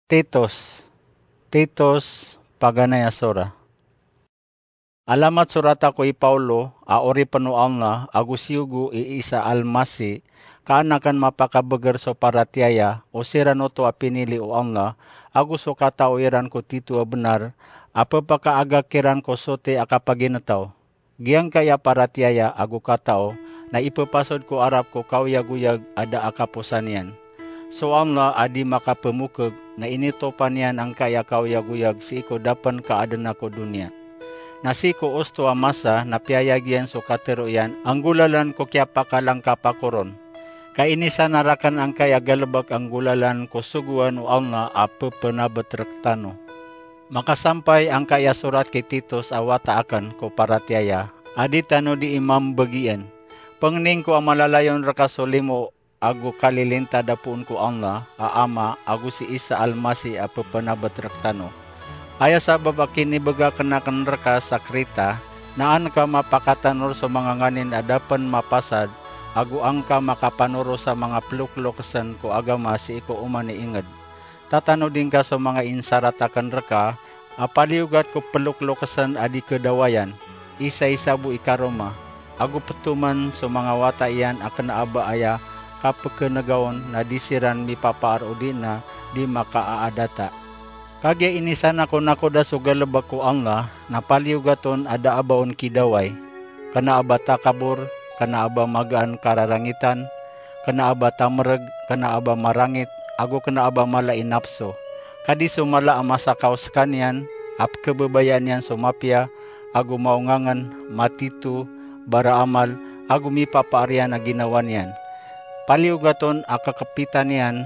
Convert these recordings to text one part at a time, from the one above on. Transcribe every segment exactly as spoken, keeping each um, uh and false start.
Titus. Titus, paganay a sora. Alamat sorata ko i Paulo, a oripn o Allah, ago siyogo i Isa Almasi, ka an akn mapakabgr so paratiyaya, o siran oto a pinili o Allah, ago so katao iran ko titho a bnar, a pphakaagak iran ko soti a kapagintaw. Giyangkaya paratiyaya ago katao na ippasod ko arap ko kaoyagoyag a da a kaposan iyan. So Allah a di makapmokg na initopan iyan angkaya kaoyagoyag sii ko da pn ka adn a ko doniya. Na sii ko osto a masa na piyayag iyan so katharo iyan a nggolalan ko kiyapakalangkap a koron. Ka inisanar akn angkaya galbk a nggolalan ko sogoan o Allah a ppnabt rktano. Makasampay angkaya sorat ki Titus a wata akn ko paratiyaya, a di tano dii mambgian. Pangnin ko a malalayon rka so limo ago kalilintad a poon ko Allah a Ama ago si Isa Almasi a ppnabt rktano. Aya sabap a kinibgay akn rka sa Krita, na an ka mapakatanor so manga nganin a da pn mapasad, ago an ka makapanoro sa manga ploklokesn ko agama sii ko oman i ingd. Tatanodi ngka so manga insarat akn rka, a paliyogat ko ploklokesn a di kdawayan, isaisa bo i karoma, ago ptoman so manga wata iyan a kna a ba aya kapkngaon na di siran mipapaar odi na di makaaadata. Kagiya inisanar akn da so galbk o Allah, na paliyogat on a da a ba on kidaway, kna a ba takabor, kna a ba magaan kararangitan, kna a ba tamrg, kna a ba marangit, ago kna a ba mala i napso. Ka di so mala a masakaw skaniyan, a pkhababayaan iyan so mapiya, ago maongangn, matito, baraamal, ago mipapaar iyan a ginawa niyan. Paliyogat on a kakpita niyan,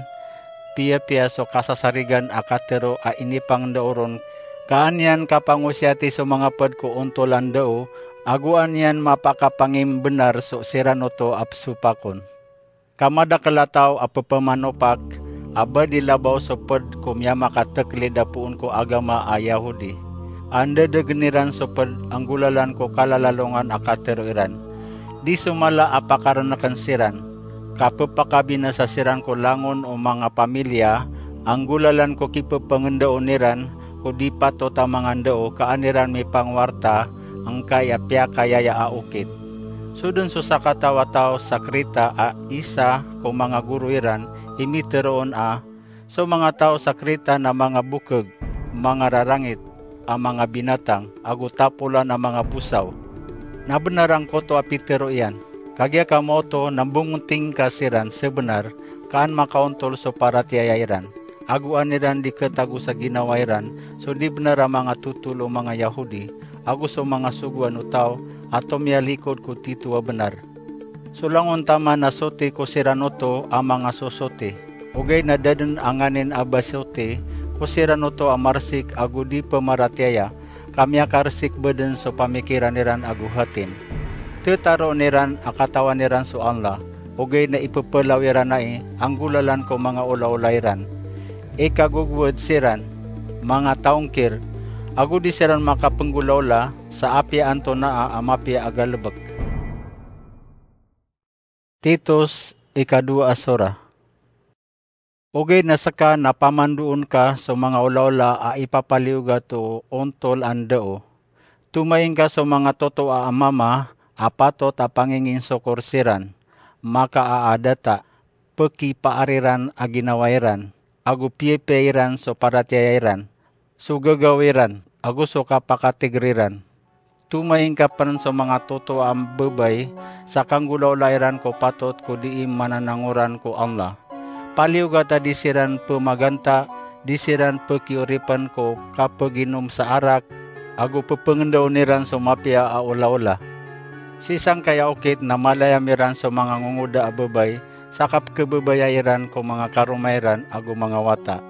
piyapiya so kasasarigan a katharo a inipangndaoron, ka an iyan kapangosiyati so manga pd ko ontol a ndao, ago an iyan mapakapangimbnar so siran oto a psopakon. Ka madakl a taw a pphamanopak, a ba di labaw so pd ko miyamakatklid a poon ko agama a Yahudi, a ndadagn iran so pd a nggolalan ko kalalalongan a katharo iran. Di so mala a pakarnakn siran, ka pphakabinasa siran ko langon o manga pamilya, a nggolalan ko kipphangndao iran ko di patot a manga ndao ka an iran mipangwarta angkaya piyakayaya a okit. So dn so sakataw a taw sa Krita a isa ko manga goro iran i mitharo on a, so manga taw sa Krita na manga bokg, manga rarangit a manga binatang, ago tapolan a manga bosaw. Na bnar angkoto a pitharo iyan. Kagiya ka maoto na mbongoting ka siran sabnar, ka an makaontol so paratiyaya iran, ago an iran di khatago sa ginawa iran so di bnar a manga totol o manga Yahudi, ago so manga sogoan o taw a tomiyalikod ko titho a bnar. So langon taman na soti ko siran oto a manga sosoti, ogaid na da dn a nganin a ba soti ko siran oto a marsik ago di pmaratiyaya, ka miyakarsik ba dn so pamikiran iran ago hatin. Tharoon iran a katawan iran so Allah, ogaid na ipphalaw iran ai a nggolalan ko manga olaola iran. Ikagogowad siran, manga taw ngkir, ago di siran makapnggolaola sa apiya antonaa a mapiya a galbk. Titus, ikadowa a sora. Ogaid na ska na pamandoon ka so manga olaola a ipapaliyogat o ontol a ndao. Tomaing ka so manga totoa a mama a patot a panginginsokor siran, makaaadata, pkipaar iran a ginawa iran, ago piyapiya iran so paratiyaya iran, so gagaw iran, ago so kapakatigr iran. Tomaing ka pn so manga totoa a babay sa kanggolaola iran ko patot ko dii mananangoran ko Allah. Paliyogat a di siran pmaganta, di siran pkioripn ko kapaginom sa arak, ago pphangndao iran so mapiya a olaola. Sii sangkaya okit na malayam iran so manga ngongoda a babay sa kapkhababaya iran ko manga karoma iran ago manga wata.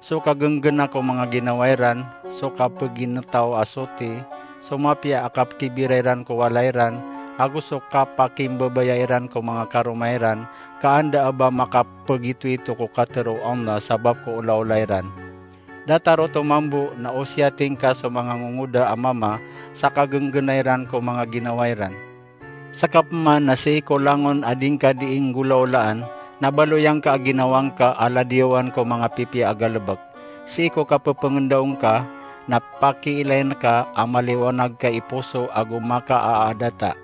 So kagnggnaa ko manga ginawa iran, so kapagintaw a soti, so mapiya a kapkibira iran ko walay iran, ago so kapakimbabaya iran ko manga karoma iran, ka an da a ba makapagitoito ko katharo o Allah sabap ko olaola iran. Datar oto mambo na osiyating ka so manga ngongoda a mama sa kagnggnaa iran ko manga ginawa iran. Ska pman na sii ko langon a di ngka dii nggolaolaan, na baloy angka a ginawa ngka a ladiyawan ko manga pipiya a galbk. Sii ko kapepengendaon ka, na pakiilayin ka a maliwanag ka i poso ago makaadata.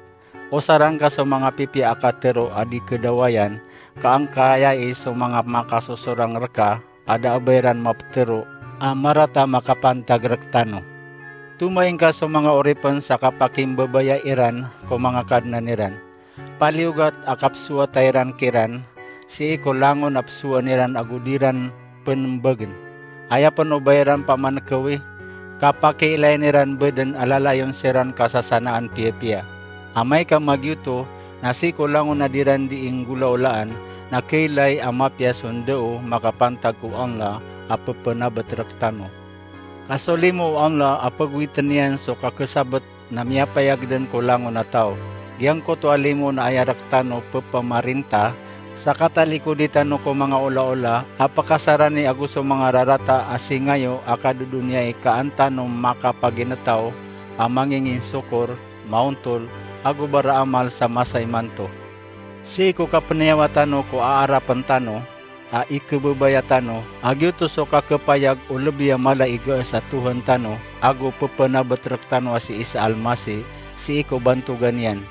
Osarang ka so manga pipiya a katero a di kedawayan, ka angkaya i so manga makasosorang reka a da a ba iran mapetero a marata makapantag rektano. Tomaing ka so manga oripen sa kapakimbabaya iran ko manga kadnan iran. Paliyogat a kapesowata iran kiran, sii ko langon a pesowaan iran ago di ran penembagen. Aya pen o ba iran pamanekewi, kapakiilayin iran beden a lalayon siran kasasanaan piyapiya. Amay ka magiyoto, na sii ko langon a di ran di inggolaolaan, na keilay a mapiya so ndao makapantag ko Allah a pepenabet rektano. Ka so limo o Allah a pegowiten iyan so kakesabet na miyapayag den ko langon a taw. Giyangkoto a limo na aya rektano pepamarinta, sa katalikodi tano ko manga olaola a pakasarani ago so manga rarata a singayo a kadodoniyai ka an tano makapaginetaw a manginginsokor, maontol, ago baraamal sa masa imanto. Sii ko kapeniyawa tano ko aarapen tano, a ikebebaya tano, a giyoto so kakepayag o lebi a mala i gaas a Tohan tano, ago pepenabet rektano a si Isa Almasih, sii ko bantogan iyan.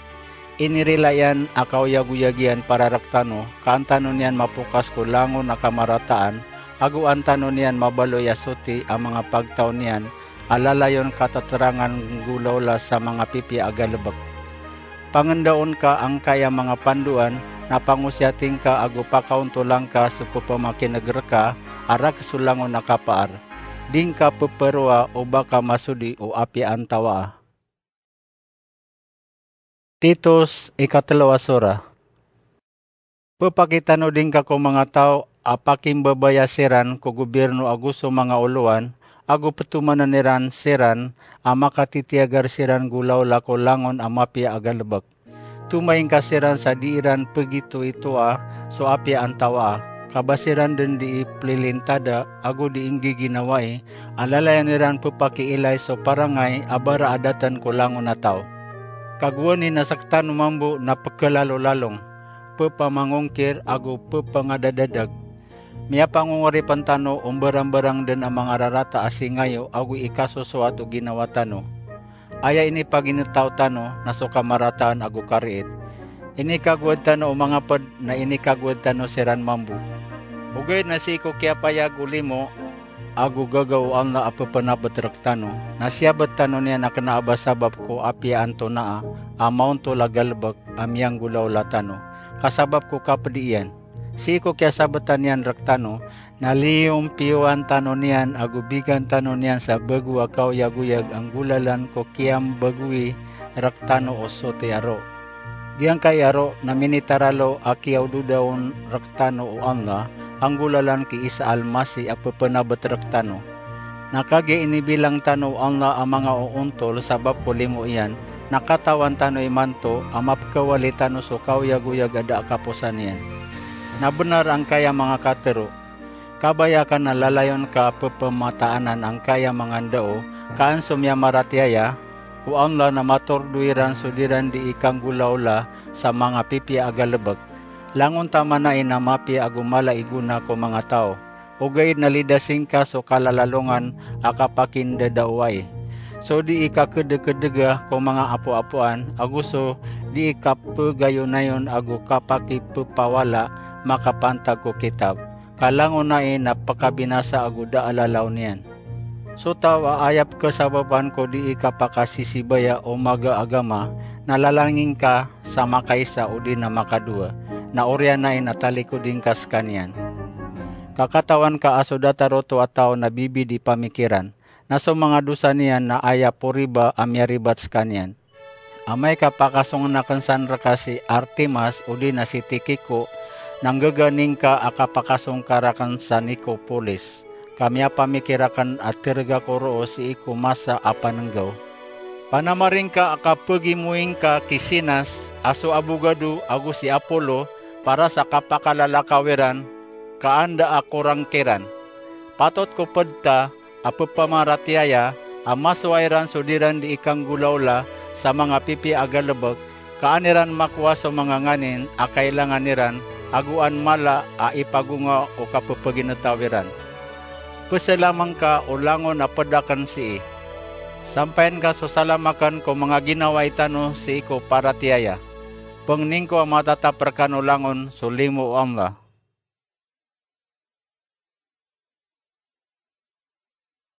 Inirila iyan a kaoyagoyag iyan para rektano, ka an tano niyan mapokas ko langon a kamarataan, ago an tano niyan mabaloy a soti a manga pagtaw niyan, a lalayon kataterangan nggolaola sa manga pipiya a galebek. Pangendaon ka angkaya manga pandoan, na pangosiyati ngka ago pakaontola ngka so pepamakineg reka a rakhs o langon a kapaar. Di ngka peperoa o ba ka masodi o apiya antawaa. Titus, ikatelo a sora. Pepakitano di ngka ko manga taw a pakimbabaya siran ko gobirno ago so manga olowan, ago petomanen iran siran a makatitiyagar siran nggolaola ko langon a mapiya a galebek. Tomaing ka siran sa di iran pegitoitoa so apiya antawaa, ka ba siran den di ipelilintada ago di inggiginawai, a lalayon iran pepakiilay so parangay a bara a daten ko langon a taw. Ka gowani na sektano mambo na pekelalalong, pepamangongkir ago pepangadadag. Miyapangongoripen tano o mbarangbarang den a manga rarata a singayo ago ikasosoat o ginawa tano. Aya inipaginetaw tano na so kamarataan ago kariit. Inikagowad tano o manga ped na inikagowad tano siran mambo. Ogaid na sii ko kiyapayag o limo ago gagaw o Allah a pepenabet rektano, na siyabet tano niyan a kena a ba sabap ko apiya antonaa a maontol a galebek a miyanggolaola tano, ka sabap ko kapedi iyan. Sii ko kiyasabetan iyan rektano, na liyompiyowan tano niyan ago bigan tano niyan sa bago a kaoyagoyag a nggolalan ko kiyambagowi rektano o soti a roo. Giyangkai a roo na minitaralo a kiyaododa on rektano o Allah a nggolalan ki Isa Almasih a pepenabet rektano. Na kagiya inibilang tano o Allah a manga oontol sabap ko limo iyan, na katawan tano imanto a mapekawali tano so kaoyagoyag a da a kaposan iyan. Na benar angkaya manga katero. Kabaya ka na lalayon ka pepemataan angkaya manga ndao, ka an so miyamaratiyaya ko Allah na matordo iran so di ran di ikanggolaola sa manga pipiya a galebek. Langon taman ai na mapiya ago mala i gona ko manga taw. Ogaid na lidasi ngka so kalalalongan a kapakindadaowai. So di ikakedekedega ko manga apoapoan, ago so di ikapegayonayon ago kapakipepawala makapantag ko kitab. Ka langon ai na pekabinasa ago da a lalaw niyan. So taw a aya pekesabapan ko di ikapakasisibaya o maga a agama, na lalangin ka sa makaisa odi na makadowa, na oriyan ai na talikodi ngka sekaniyan. Ka katawan ka a so datar oto a taw na bibid i pamikiran, na so manga dosa niyan na aya poriba a miyaribat sekaniyan. Amay ka pakasongen aken san reka si Artemas odi na si Tikiko, na nggagani ngka a kapakasong ka raken sa Nikopolis, ka miyapamikir aken a tereg ako roo sii ko masa a panenggaw. Panamari ngka a kapegimoing ka ki Sinas a so abogado ago si Apolo para sa kapakalalakaw iran, ka anda a korang kiran. Patot ko pedta a pepamaratiyaya a masowa iran so di ran di ikanggolaola sa manga pipiya a galebek, ka an iran makowa so manga nganin a kailangan iran, ago an mala a ipagonga o kapepeginetaw iran. Pesalam angka o langon a ped aken sii. Sampayan ka so salam aken ko manga ginawai tano sii ko paratiyaya. Pengnin ko a matatap rekan o langon so limo o Allah.